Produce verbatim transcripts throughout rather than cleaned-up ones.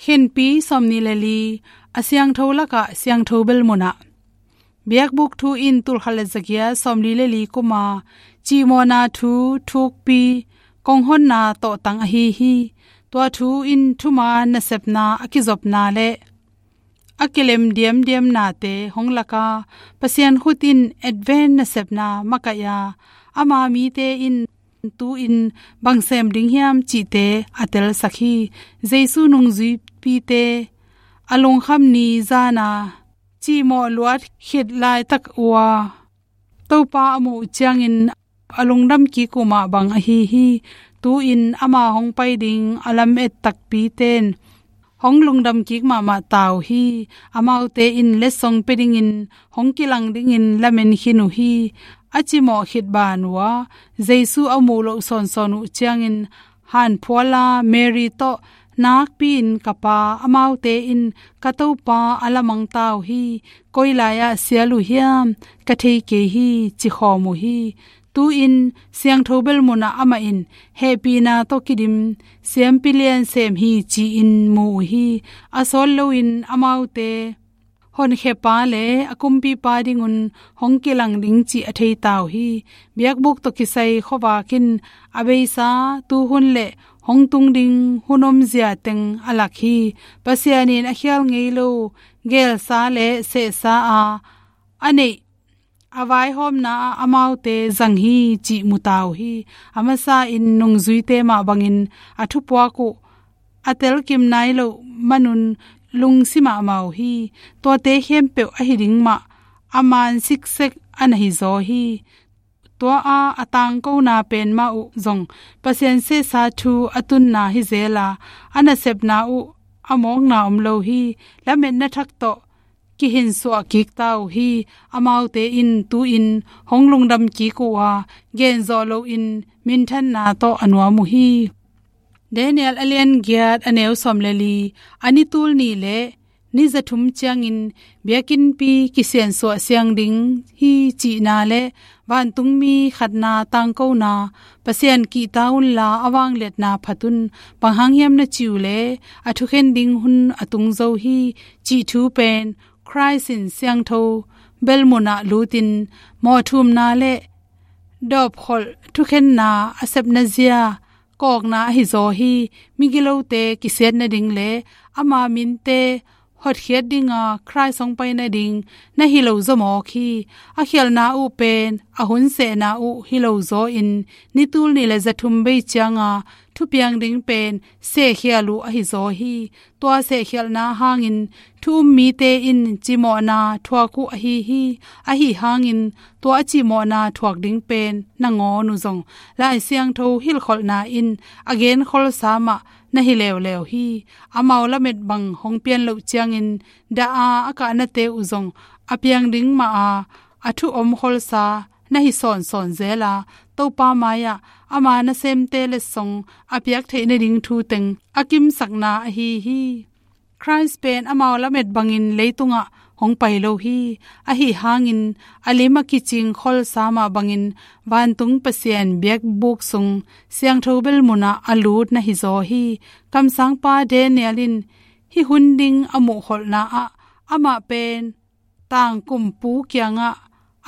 Khenpi sawmnih le li. A siangtho lakah siangtho bel munah. Biakbuk thu in tulkhat le zagiat sawmli le li kuma cihmawhna thu thukpi konghonna tawhtang ahi hi. Tua thu in thuman nasepna a kizopna le a kilem diamdiamnate hong laka Pasian khut in Advent nasepna makaih a, ama mite in tu-in bang sem ding hiam cihte a telsak hi. Jesu nungzuipite a lungkham ni zana cihmawh luat khit laitak uh a, Topa a muh uh ciangin a lungdam kik uh mah bang ahi hi. Tu-in ama hong pai ding a lamet takpite in hong lungdam kik mahmah ta uh hi. Amaute in letsong pia dingin hong kilang dingin lamen khin uh hi. A cimawh khit ban uh a, Jesu a muh loh sawnsawn uh ciangin hanphuala Mary tawh nakpi-in, "Ka Pa, amaute in ka Topa a lamang ta uh hi. Koi lai-ah sial uh hiam? Ka thei kei hi," ci khawm uh hi. Tu-in siangtho bel munah amah in hehpihna tawh kidim siampi lian sem hi ci-in mu uh hi. A sawt loin amaute honkhiapa le a kumpipa dingun hong kilang ding cih a thei ta uh hi. Biakbuk tawh kisai khuavak in a beisa tuhun le hong tung ding hun omzia teng a lak hi. Pasian in a khial ngei lo gelsa le sehsa a a neih a vaihawmna ah amaute zang hi cih mu ta uh hi. A masa in nungzuite mah bangin a thupuak uh a telkim nai loh manun lungsi mahmah uh hi. Tuate khempeuh ahi ding mah a man siksek a na hizaw hi. Tua a a tangkona pen mah uh zong Pasian sehsa thu a tunna hi zel a, a nasepna uh a mawkna om lo hi. Lametna thak tawh kihinsuah kik ta uh hi. Amaute in tu-in hong lungdam kik uh a, genzawh loin minthanna tawh a nuam uh hi. Daniel a lian giat a neu sawm le li. A ni tul nih le ni za thum ciangin biakinnpi kisiansuah siang ding hi cihna le vantungmi khatna tangkona, Pasian kihta unla a vangliatna phat un. Bang hang hiam na cih uh leh a thukhen ding hun a tung zo hi cih thu pen Khrist in siangtho bel munah lutin mawhthumna le dawpkholh thukhenna a sepna zia kawkna ahi zaw hi. Migilote kisiat nading le ama minte hotkhiat dinga Khrist hong pai nading na hi lo zaw mawk hi. A khialhna uh pen a hun sehna uh hi lo zaw in ni tul nih le za thum bei cianga thupiang ding pen sehkhial uh ahi zaw hi. Tua sehkhialhna hangin thu um mite in cimawhna thuak uh ahi hi. Ahi hangin tua a cimawhna thuak ding pen nangawn uh zong Lai Siangtho hilhkholhna in a genkholsa mah na hi leuleu hi. Amau lamet bang hong pian loh ciangin dah a a kahnate uh zong a piang ding mah a, a thu omkholsa na hi sawnsawn zel a, Topa mai-ah ama nasemte letsong a piak theih nading thu teng a kimsakna ahi hi. Khrist pen amau lamet bangin leitungah hong pai lo hi. Ahi hangin a lim a kicing kholsa mah bangin vantung Pasian biakbuk sung siangtho bel munah a lut na hi zaw hi. Kamsangpa Daniel in hih hun ding a muhkholhna ah amah pen tangkumpu kiangah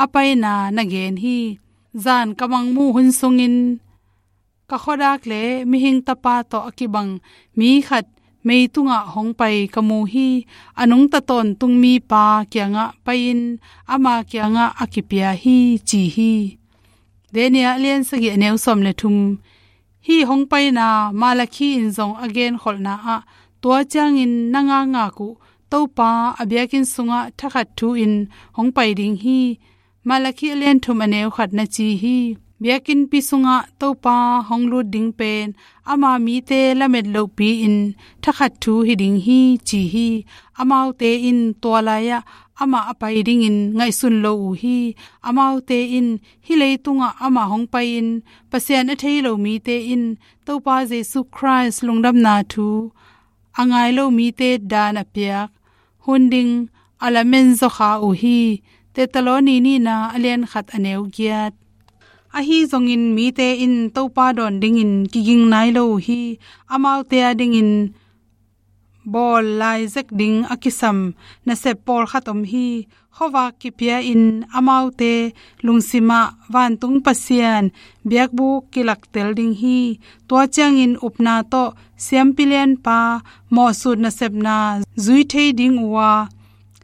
a paina na gen hi. Zan ka mangmuh hun sungin ka khuadak le mihing tapa tawh a kibang mi khat meitungah hong pai ka mu hi. A nungta tawntung mipa kiangah pai-in ama kiangah a kipia hi, ci hi. Daniel a lian sagih a neu sawm le thum. Hih hong paina Malakhi in zong a genkholhna ah tua ciangin na ngakngak uh Topa a biakinn sungah thakhat thu-in hong pai ding hi. Malakhi a lian thum a neu khat na ci hi. Biakinnpi sungah Topa hong lut ding pen ama mite lamet lohpi-in thakhat thu hi ding hi, ci hi. Amaute in tua lai-ah amah a pai dingin ngaihsun lo uh hi. Amaute in hih leitungah amah hong pai-in Pasian a thei lo mite in Topa Jesu Khrist lungdamna thu a ngai lo mite dan a piak hun ding a lamen zaw kha uh hi. Thessaloni nihna a lian khat a neu giat. Ahi zongin mite in Topa dawn dingin kiging nai lo uh hi. Amaute a dingin bawl lai zek ding a kisam nasep pawlkhat om hi. Khuavak kipia-in amaute lungsimah vantung Pasian biakbuk kilaktel ding hi. Tua ciangin upna tawh siampi lianpa mawhsut nasepna zui thei ding uh a,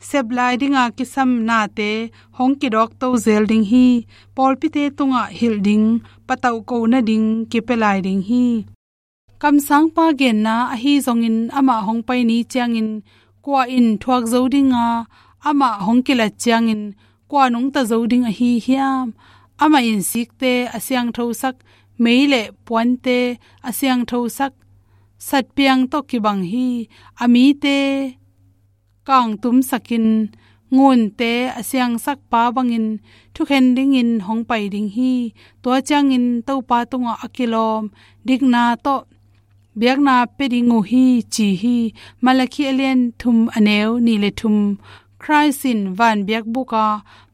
sep lai dinga kisam nate hong kidawkto zel ding hi. Pawlpite tungah hilh ding patauh kohna ding kipia lai ding hi. Kamsangpa genna ahi zongin amah hong pai ni ciangin kua in thuak zo dinga, amah hong kilat ciangin kua nungta zo ding ahi hiam? Amah in sikte a siangthosak, mei le puante a siangthosak, satpiang tawh kibang hi. A mite kangtumsakin ngunte a siangsak pa bangin thukhen dingin hong pai ding hi. Tua ciangin Topa tungah a kilawm dikna tawh biakna pia ding uh hi, ci hi. Malakhi a lian thum, a neu nih le thum. Khrist in van biakbuka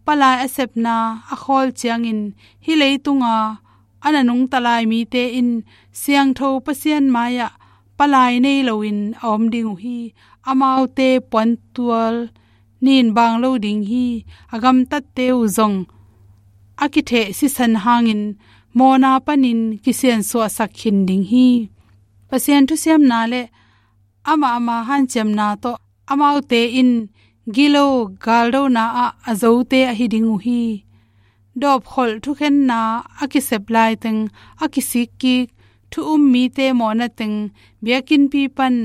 palai a sepna a khawl ciangin hih leitunga a na nungta lai mite in siangtho Pasian mai-ah palai nei loin a om ding uh hi. Amaute puantual nin bang lo ding hi. A gamtatte uh zong a kitheh sisan hangin mawhna panin kisiansuahsak khin ding hi. Pasian thusiamna le amah ama hanciamna tawh amaute in gilo galdona ah a zote ahi ding uh hi. Dawpkholh thukhenna a kisep laiteng a kisikkik thu um mite mawhna teng biakinnpi pan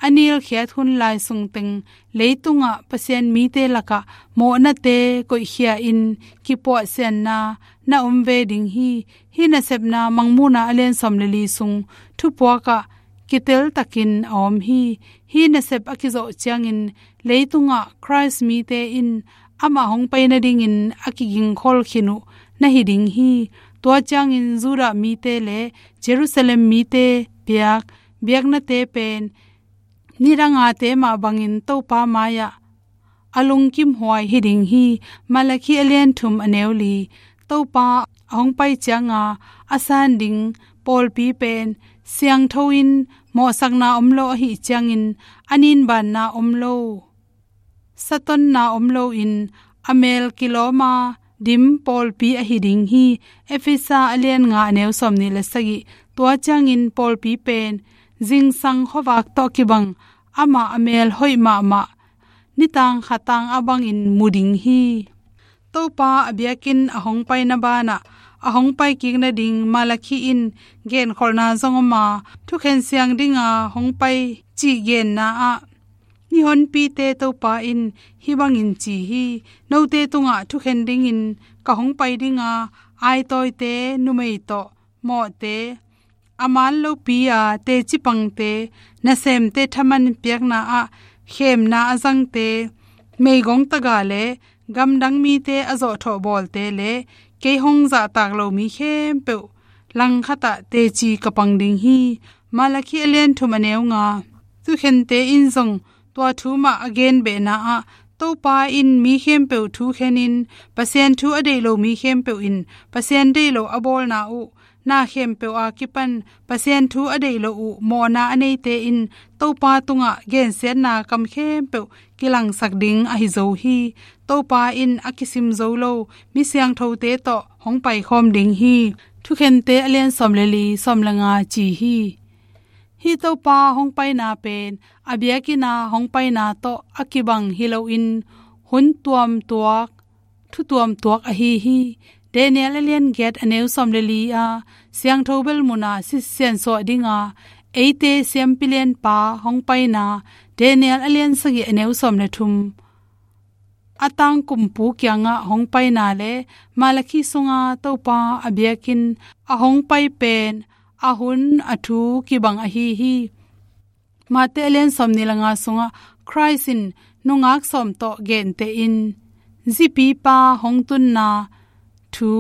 a nilkhiat hun lai sungteng leitungah Pasian mite lakah mawhnate koihkhia-in kipuahsianna na om ve ding hi. Hih nasepna Mangmuhna a lian sawm le li sung thupuakah kiteltakin a om hi. Hih nasep a kizawh ciangin leitungah Khrist mite in amah hong pai nadingin a kigingkhol khin uh na hi ding hi. Tua ciangin Judah mite le Jerusalem mite piak biaknate pen nidangate mah bangin Topa mai-ah a lungkimhuai hi ding hi. Malakhi a lian thum, a neu li. Topa a hong pai cianga a san ding pawlpi pen siangtho in mawhsakna om lo ahih ciangin a ninbanna om lo, satonna om loin a mel kilawma dim pawlpi ahi ding hi. Efesa a lian nga, a neu sawm nih le sagih. Tua ciangin pawlpi pen zingsang khuavak tawh kibang, amah a mel hoih mahmah nitang khatang a bangin mu ding hi. Topa a biakinn a hong paina banah a hong pai kik nading Malakhi in genkholhna zong om a, thukhen siang dinga hong pai cih genna ah ni honpite Topa in hih bangin ci hi. Note tungah thukhen dingin ka hong pai dinga, aitawite numei tawh mawhte, a man lopi a teci pangte, nasemte thaman piakna ah khemna a zangte, meigong taga le gamdang mite a zawhthawh bawlte le kei hong zahtak lo mi khempeuh langkhatah teci ka pang ding hi. Malakhi a lian thum, a neu nga. Thukhente in zong tua thu mah a genbehna ah Topa in mi khempeuh thukhenin Pasian thu a deih lo mi khempeuh in Pasian deih lo a bawlna uh, na khempeuh a kipan Pasian thu a deih lo uh mawhna a neite in Topa tungah gensiatna kam khempeuh kilangsak ding ahi zo hi. Topa in a kisim zo lo mi siangthote tawh hong paikhawm ding hi. Thukhente a lian sawm le li, sawm le nga ci hi. Hih Topa hong paina pen a biakinn a hong paina tawh a kibang hi loin hun tuamtuak, thu tuamtuak ahi hi. Daniel a lian giat, a neu sawm le li a siangtho bel muna sisiansuah dinga eite siampi lianpa hong paina Daniel a lian sagih, a neu sawm le thum. A tangkumpu kiangah hong paina le Malakhi sunga Topa a biakinn a hong pai pen a hun a thu kibang ahi hi. Mate a lian sawm nih le nga sungah Khrist in nungak sawm tawh genteh in zipipa hong tunna thu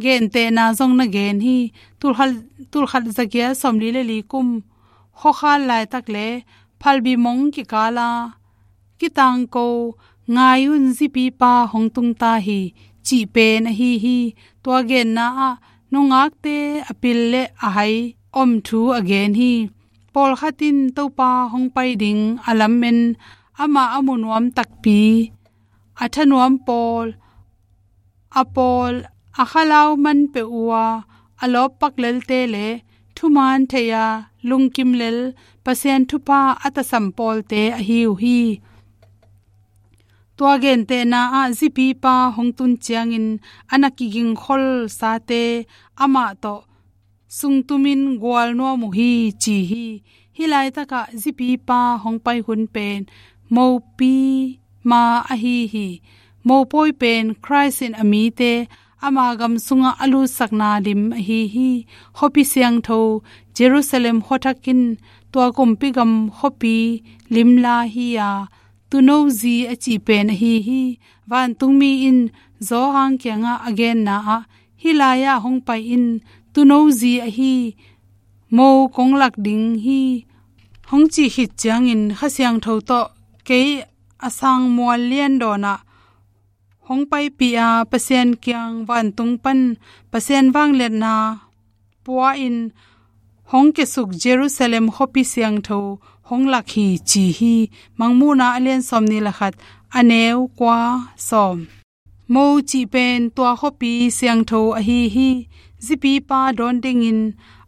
gentehna zong na gen hi. Tulkhat, tulkhat zagiat sawm li le li kum khuakhal laitak le phalbi mong kikala kitangko, ngai un, zipipa hong tungta hi, cih pen ahi hi. Tua genna ah nungakte a pil le a hai om thu a gen hi. Pawlkhat in Topa hong pai ding a lamen, amah a mu nuam takpi, a thanuam pawl, a pawl, a khalau man peuh uh a, a lawppak lelte le thumaan thei-a lungkim lel Pasian thupha a tasam pawlte ahi uh hi. Tua gentehna ah zipipa hong tun ciangin a na kigingkholsate amah tawh sungtumin gual nuam uh hi, ci hi. Hih laitakah zipipa hong pai hun pen mopi ma ahi hi. Mopawi pen Khrist in a mite ama gam sungah a lutsakna lim ahi hi. Khuapi siangtho Jerusalem khuathak in tua kumpi gam khuapi limla hi-a, Tuuno zi a cih pen ahi hi. Vantungmi in Johan kiangah a genna ah, hih lai-ah hong pai in, Tuuno zi ahi mo kong lak ding hi, hong cih khit ciangin Kha Siangtho tawh kei a sang mual lian dawnah hong paipih a, Pasian kiang vantung pan Pasian vangliatna pua-in hong kiasuk Jerusalem khuapi siangtho hong lak hi, ci hi. Mangmuhna a lian sawmnih le khat, a neu kua, sawm. Mo cih pen tua khuapi siangtho ahi hi. Zipipa dawn dingin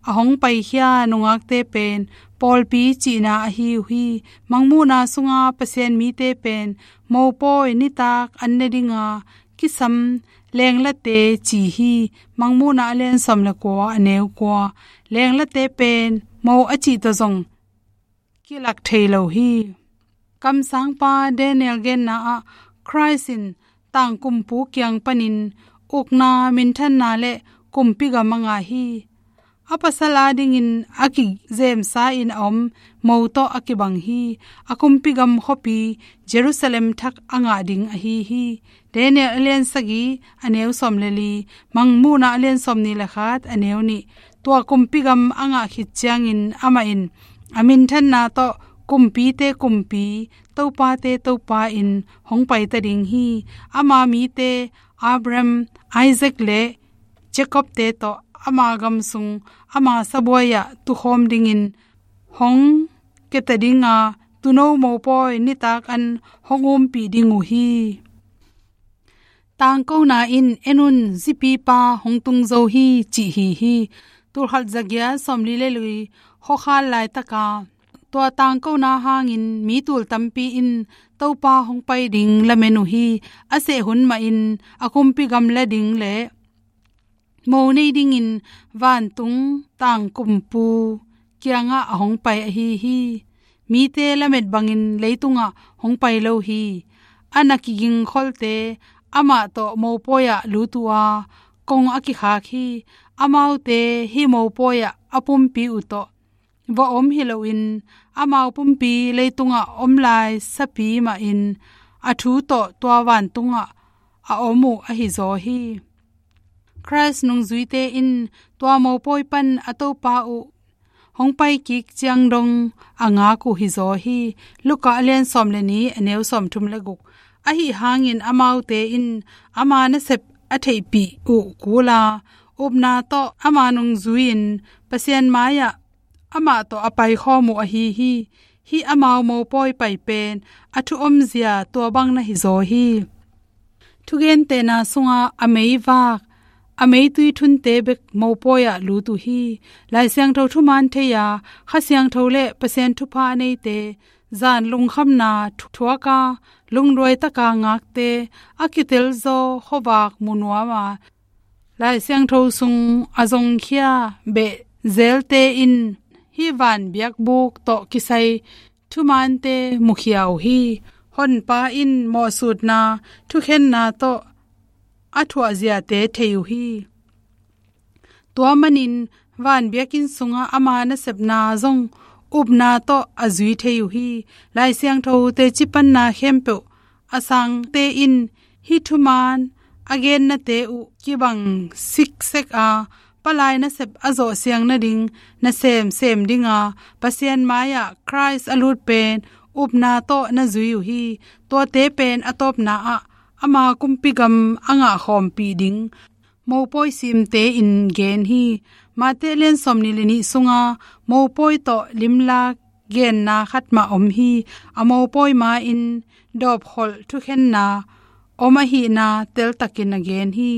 a hong paikhia nungakte pen pawlpi cihna ahi uh hi. Mangmuhna sunga Pasian mite pen mopawi nitak an ne dinga kisam lenglate ci hi. Mangmuhna a lian sawm le kua, a neu kua. Lenglate pen mo a cih tawh zong kilak thei lo hi. Kamsangpa Daniel genna ah, Khrist in tangkumpu kiang panin ukna, minthanna le kumpi gam a ngah hi. A pasal adingin a kizemsa-in a om mo tawh a kibang hi. A kumpi gam khuapi Jerusalem thak a ngah ding ahi hi. Daniel a lian sagih, a neu sawm le li, Mangmuhna a lian sawmnih le khat, a neu nih. Tua kumpi gam a ngah khit ciangin amah in a minthanna tawh kumpite Kumpi, topate Topa in hong paita ding hi. Ama mite Abraham, Isaac le Jacob-te tawh ama gam sung ama sabuai-ah tukhawm dingin hong kiata dinga, tuuno mopawi nitak an hong umpih ding uh hi. Tangkona in, en un, zipipa hong tung zo hi, cih hi hi. Tulkhat zagiat sawmli le li khuakhal laitaka tua tangkona hangin mi tul tampi in Topa hong pai ding lamen uh hi. A seh hun mahin a kumpi gam la ding le mo nei dingin vantung tangkumpu kiangah a hong pai ahi hi. Mite lamet bangin leitungah hong pai lo hi. A na kigingkholte amah tawh mopawi-ah lut uh a, kong a kikhak hi. Amaute hih mopawi-ah a pumpi uh tawh va om hi loin, amau pumpi leitungah om lai sapi mahin a thu tawh tua vantungah a om uh ahi zaw hi. Khrist nungzuite in tua mopawi pan a Topa uh hong paikik ciang dong a ngak uh hi zaw hi. Luka a lian sawm le nih, a neu sawmthum le guk. Ahi hangin amaute in ama nasep a theihpih uh kula, upna tawh ama nungzui-in Pasian mai-ah amah tawh a paikhawm uh ahi hi. Hih amau mopawi pai pen a thu omzia tua bang na hi zaw hi. Thugentehna sungah a meivak, a meitui thunte bek mopawi-ah lut uh hi. Lai Siangtho thumaan thei-a, Kha Siangtho le Pasian thupha a neite, zan lungkhamna thu-, thuaka, lungduai taka ngakte, a kitelzaw khuavak mu nuama, Lai Siangtho sung a zongkhia beh zelte in hih van biakbuk tawh kisai thumaante mukhia uh hi. Honpa in mawhsutna, thukhenna tawh a thuahziate thei uh hi. Tua manin van biakinn sungah ama nasepna zong upna tawh a zui thei uh hi. Lai Siangtho teci panna khempeuh a sangte in hih thumaan a gennate uh kibang siksek a, palai nasep a zawhsiang nading nasem sem dinga Pasian mai-ah Khrist a lut pen upna tawh na zui uh hi. Tuate pen a tawpna ah ama kumpi gam a ngah khawmpih ding mopawi simte in gen hi. Mate lian sawmnih le nih sunga mopawi tawh limlak genna khat mah om hi. A mopawi ma-in dawpkholh thukhenna om ahihna teltakin a gen hi.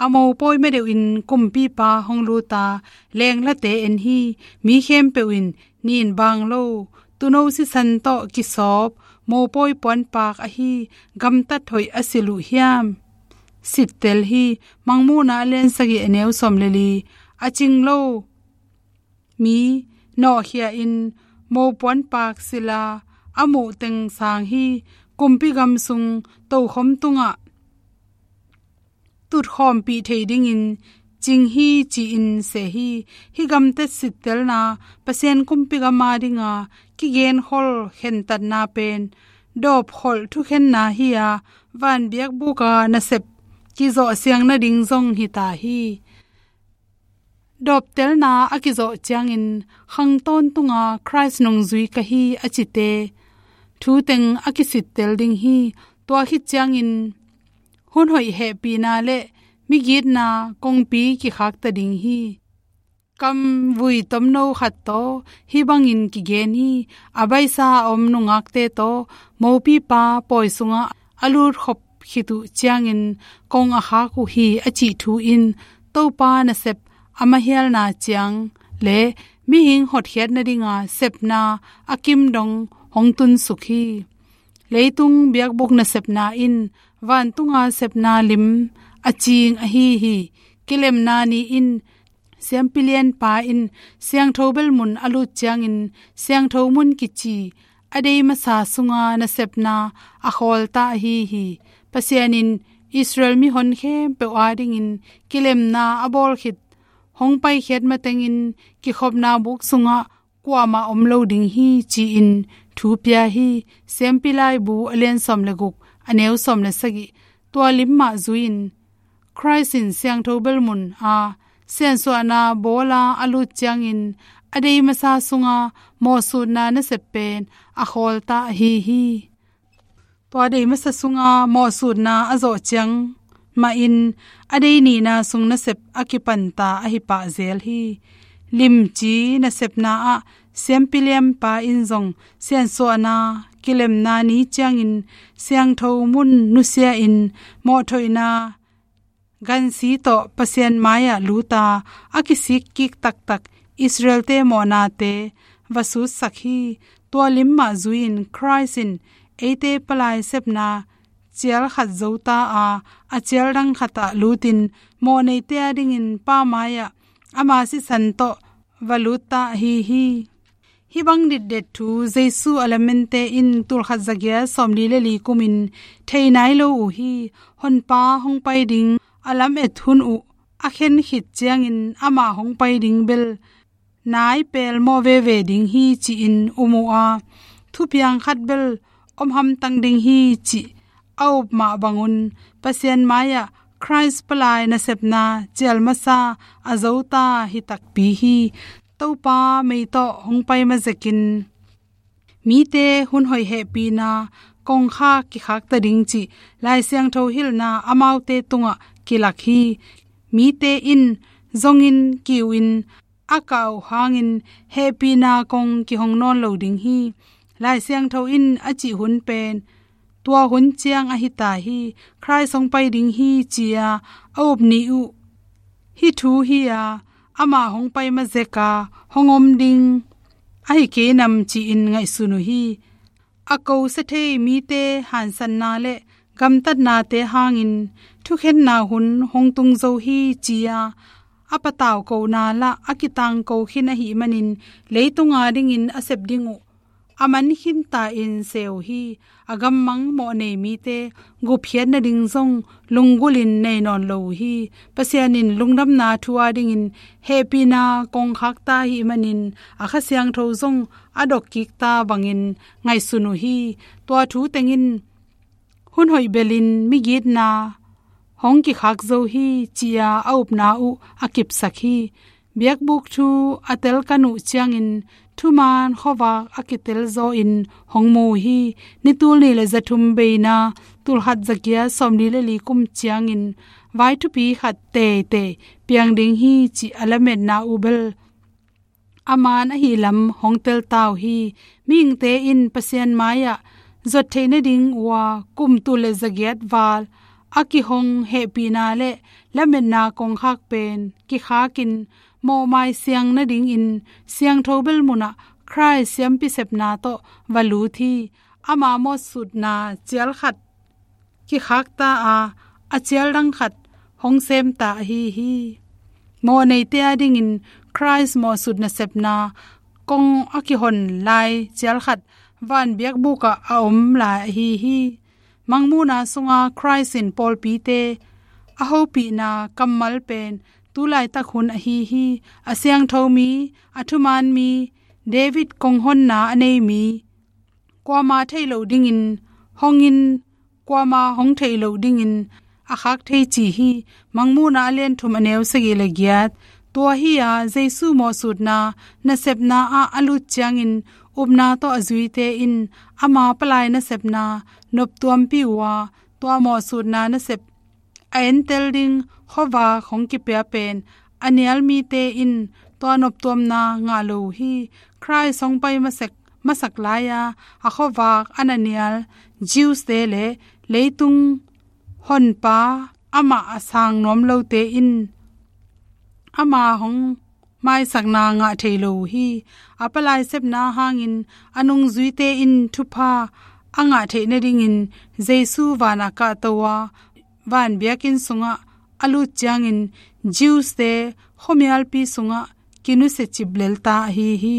A mopawi ma deuhin kumpipa hong luta lenglate en hi. Mi khempeuh in nin bang lo, tuuno sisan tawh kisawp mopawi puanpak ahi gamtat hoih a silh uh hiam? Sittel hi. Mangmuhna a lian sagih a neu sawm le li. A cing lo mi nawhkhia in mopuanpak silh a, a muh teng sang hi. Kumpi gam sung tokhom tungah tutkhawmpih thei dingin cing hi ci-in seh hi. Hih gamtat sittelna Pasian kumpi gam a dinga kigenkhol khentatna pen dawpkholh thukhenna hi-a, van biakbuka nasep kizawh siang nading zong hi ta hi. Dawptelna a kizawh ciangin khang tawntunga Khrist nungzui ka hi a cite thu teng a kisittel ding hi. Tua khit ciangin hun hoih hehpihna le migitna kongpi kikhakta ding hi. Kamvui tomno khat tawh hih bangin kigen hi. A baisa a om nungakte tawh mopipa pawi sungah a lutkhop khit uh ciangin kong a khak uh hi a cih thu in Topa nasep a mahialna ciang le mihing hotkhiat nadinga sepna a kim dong hong tunsuk hi. Leitung biakbuk nasepna in vantunga sepna lim a cing ahi hi. Kilemna ni in Siampi Lianpa in siangtho belmun a lut ciangin siangtho mun kici a dei masa sunga nasepna a khawlta ahi hi. Pasian in Israel mihon khempeuh adingin kilemna a bawl khit hong paikhiat matengin kikhopna buk sungah kuamah om lo ding hi ci-in thu pia hi. Siampi Laibu a lian sawm le guk a neu sawm le sagih. Tua lim mah zui-in Khrist in siangtho belmun a siansuahna bawla a lut ciangin a dei masa sunga mawhsutna nasep pen a khawlta ahi hi. Tua dei masa sunga mawhsutna a zawh ciang mahin a dei nihna sung nasep a kipanta ahi pah zel hi. Limci nasepna ah Siampi Lianpa in zong siansuahna kilemna ni ciangin siangtho mun nusia in mawhthoihna gansi tawh Pasian mai-ah luta a kisik kik taktak Israelte mawhnate va sutsak hi. Tua lim mah zui-in Khrist in eite palai sepna cial khat zota a, a cial dang khatah lutin mawhneite adingin Pa mai-ah ama sisan tawh va lutta ahi hi. Hih bang ditdet thu Jesu a lamente in tulkhat zagiat sawmli le li kumin thei nai lo uh hi. Honpa hong pai ding a lamet hun uh a khen khit ciangin ama hong pai ding bel nai pelmawh veve ding hi ci-in um uh a, thupiang khat bel om hamtang ding hi cih a up mah bangun Pasian mai-ah Khrist palai nasepna cial masa a zota hi takpi hi. Topa mei tawh hong pai ma zekin mite hun hoih hehpihna kongkhak kikhakta ding cih Lai Siangtho hilhna amaute tungah kilak hi. Mite in zongin kiu in a kah uh hangin hehpihna kong kihong nawn lo ding hi. Lai Siangtho in a cih hun pen tua hun ciang ahi ta hi. Khrist hong pai ding hi ci-a a up ni uh hih thu hi-a, ama hong pai ma zeka hong om ding ahi kei nam ci-in ngaihsun uh hi. A kosia thei mite hansanna le gamtatnate hangin thukhenna hun hong tung zo hi ci-a a patau kona lah a kitangko khin ahih manin leitung adingin a sep ding uh a man khinta in se uh hi. A gammang mawhnei mite gupkhiat nading zong lunggulhin nei nawn lo uh hi. Pasian in lungdamna thu adingin hehpihna kongkhakta ahih manin a Kha Siangtho zong a dokkikta bangin ngaihsun uh hi. Tua thu tengin hun hoih belin migitna hong kikhak zo hi ci-a a upna uh a kipsak hi. Biakbuk thu a telkan uh ciangin thuman khuavak a kitelzawhin hong mu uh hi. Ni tulnih le zathum beina tulkhat zagiat sawmli le li kum ciangin vai thupi khat teitei piang ding hi cih a lametna uh bel a man ahih lam hong tel ta uh hi. Mihingte in Pasian mai-ah zot theih nading uh a kum tul le zagiat val a kihong hehpihna le lametna kongkhak pen kikhakin mawhmai siang nadingin siangtho bel munah Khrih siampi sepna tawh va lut hi. Ama mawhsutna cial khat kikhakta a, a cial dang khat hong semta ahi hi. Mawhneite adingin Khrih mawhsut nasepna kong a kihon lai cial khat van biakbukah a om lai ahi hi. Mangmuhna sunga Khrih in pawlpite a hopihna kammal pen tu laitak hun ahi hi. A siangtho mi, a thuman mi, David konghonna a nei mi, kuama theih loh dingin hongin, kuama hong theih loh dingin a khak thei ci hi. Mangmuhna a lian thum a neu sagih le giat. Tua hi-a Jesu mawhsutna nasepna ah a lut ciangin upna tawh a zuite in ama palai nasepna noptuampih uh a, tua mawhsutna nasep a entel ding khuavak hong kipia pen a nial mite in tua noptuamna ngah lo uh hi. Khrih hong pai masak, masak lai-a a khuavak a na nial Jews-te le leitung honpa amah a sang nuam lote in ama hong maisakna ngah thei lo uh hi. A palai sepna hangin a nungzuite in thupha a ngah theih nadingin Jesu vanah kahto a, van biakinn sungah a lut ciangin Jews-te khuamialpi sungah kinusia cip lelta ahi hi.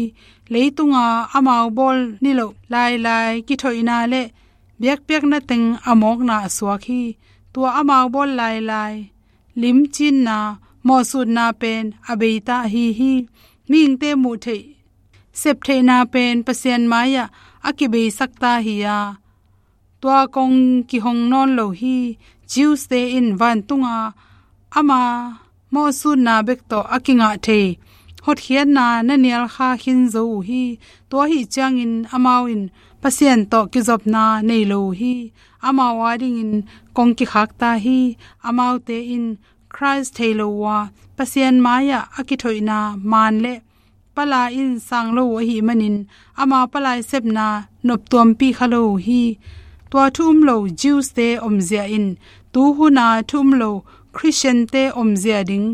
Leitunga amau bawl niloh lailai kithoihna le biakpiakna teng a mawkna a suak hi. Tua amau bawl lailai limcinna, mawhsutna pen a beita ahi hi. Mihingte muh theih, sep theihna pen Pasian mai-ah a kibeisakta hi-a, tua kong kihong nawn lo hi. Jews-te in vantunga ama mawhsutna bek tawh a kingah thei hotkhiatna na nial kha khin zo uh hi. Tua ahi ciangin amau in Pasian tawh kizopna nei lo uh hi. Amau adingin kong kikhakta hi. Amaute in Khrih thei lo uh a, Pasian mai-ah a kithoihna man le pala in sang lo uh ahih manin ama palai sepna noptuampih kha lo uh hi. Tua thu um lo Jews-te omzia in tuhuna thu um lo Khristian-te omzia ding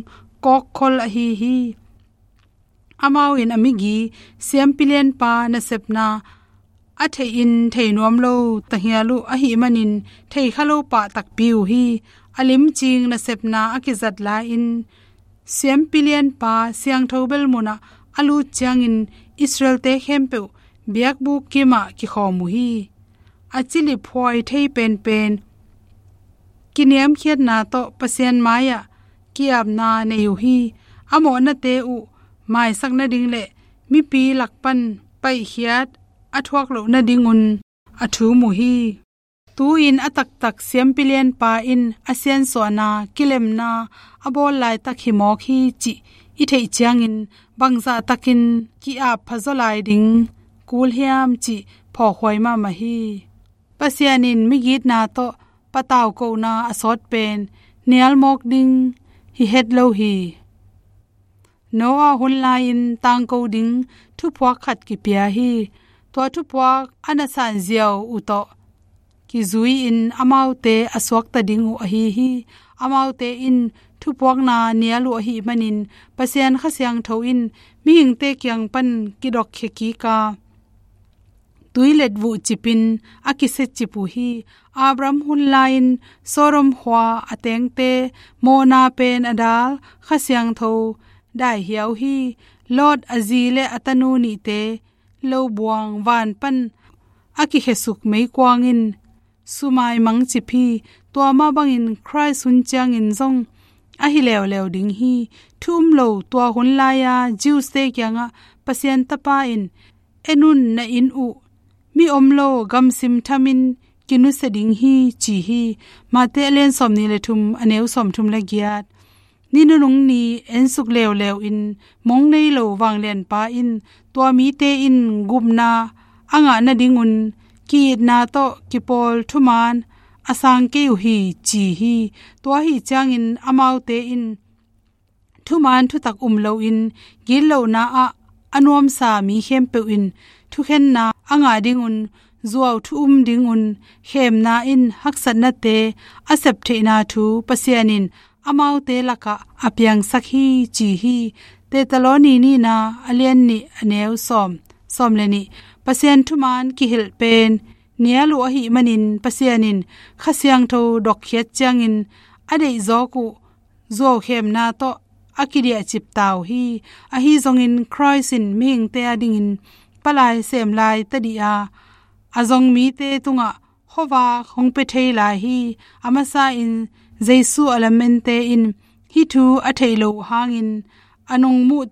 kawkkhol ahi hi. Amau in a migi siampi lianpa nasepna a theihin thei nuam lo tahial uh ahih manin thei kha lo pah takpi uh hi. A limcing nasepna a kizat lai-in siampi lianpa siangtho bel munah a lut ciangin Israel-te khempeuh biakbuk kimah kikhawm uh hi. A cilip huai thei penpen kiniamkhiatna tawh Pasian mai-ah ki-apna nei uh hi. A mawhnate uh maisak nading le mipi lak pan paihkhiat a thuak loh nadingun a thum uh hi. Tu-in a taktak siampi lianpa in a siansuahna kilemna a bawl laitak hi mawk hi cih i theih ciangin bangzah takin ki-ap phazaw lai ding kul hiam cih phawkhuai mahmah hi. Pasian in migitna tawh pataukohna a sawt pen nial mawk ding hi het lo hi. Noah hun lai-in tangko ding thuphuak khat kipia hi. Tua thuphuak a na sanziau uh tawh kizui-in amaute a suakta ding uh ahi hi. Amaute in thuphuakna nial uh ahih manin Pasian Kha Siangtho in mihingte kiang pan kidokkhia kik a, tuilet vuh cipin a kisia cip uh hi. Abraham hun lai-in Sodom khua a tengte mawhna pen a dal Kha Siangtho daihiau hi. Lot a zi le a tanu nihte lobuang van pan a kikhiasuk meikuang in sumaimang cip hi. Tua mah bangin Khrih hun ciangin zong ahi leuleu ding hi. Thu um lo tua hun lai-a Jews-te kiangah Pasian Tapa in, "En un, na inn uh mi om lo gamsim thamin kinusia ding hi," ci hi. Mate a lian sawmnih le thum a neu sawmthum le giat. Ni nunung ni ensuk leuleu in mong nei lo vanglianpa in tua mite in gupna a ngah nadingun ki-itna tawh kipawl thuman a sang kei uh hi, ci hi. Tua ahi ciangin amaute in thuman thutak um loin gitlohna ah a nuamsa mi khempeuh in thukhenna a ngah dingun, zuau thu um dingun, khemna in haksatnate a sep theihna thu Pasian in amaute lakah a piangsak hi, ci hi. Thesalonika nihna a lian nih a neu sawm, sawm le nih. Pasian thuman kihilh pen nial uh ahih manin Pasian in Kha Siangtho dokkhiat ciangin a deihzawk uh zuaukhemna tawh a kidiahcip ta uh hi. Ahi zongin Khrist in mihingte a dingin palai sem lai tadih a, a zong mite tungah khuavak hong pia thei lai hi. A masa in Jesu a lamente in hih thu a theih loh hangin a nungmuh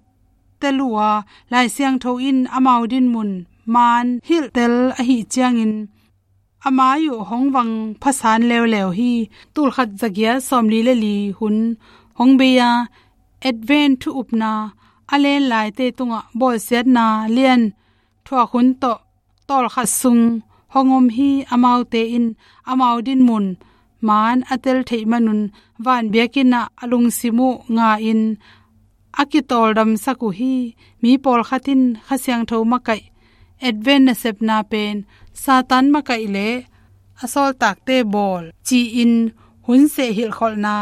tel uh a, Lai Siangtho in amau dinmun maan hilhtel ahih ciangin a mai uh hong vang phasan leuleu hi. Tulkhat zagiat sawmli le li hun hong bei a, Advent thu upna a len laite tungah bawlsiatna lian thuak hun tawh tawlkhat sung hong om hi. Amaute in amau dinmun maan a tel theih manun van biakinn ah a lungsim uh nga-in a kitawldamsak uh hi. Mi pawlkhat in Kha Siangtho makaih, Advent nasepna pen Satan makaih le a sawltakte bawl ci-in hun seh hilhkholhna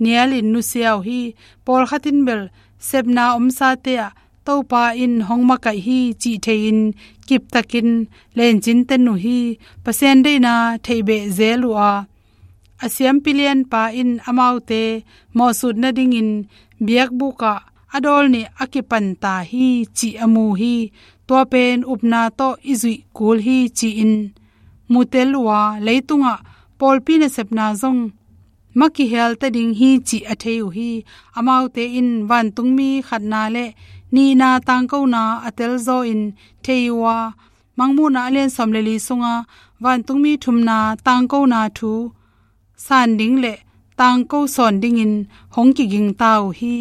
nialin nusia uh hi. Pawlkhat in bel sepna omsate ah Topa in hong makaih hi cih thei-in kiptakin lencin ten uh hi. Pasian deihna theihbeh zel uh a, a siampi lianpa in amaute mawhsut nadingin biakbuk ah a dawl nih a kipan ta hi cih a mu hi. Tua pen upna tawh i zuih kul hi ci-in mutel uh a, leitungah pawlpi nasepna zong makihial ta ding hi cih a thei uh hi. Amaute in vantungmi khatna le nihna tangkona a telzaw in thei uh a, Mangmuhna a lian sawm le li sunga vantungmi thumna tangkona thu san ding le tangko sawn dingin hong kiging ta uh hi.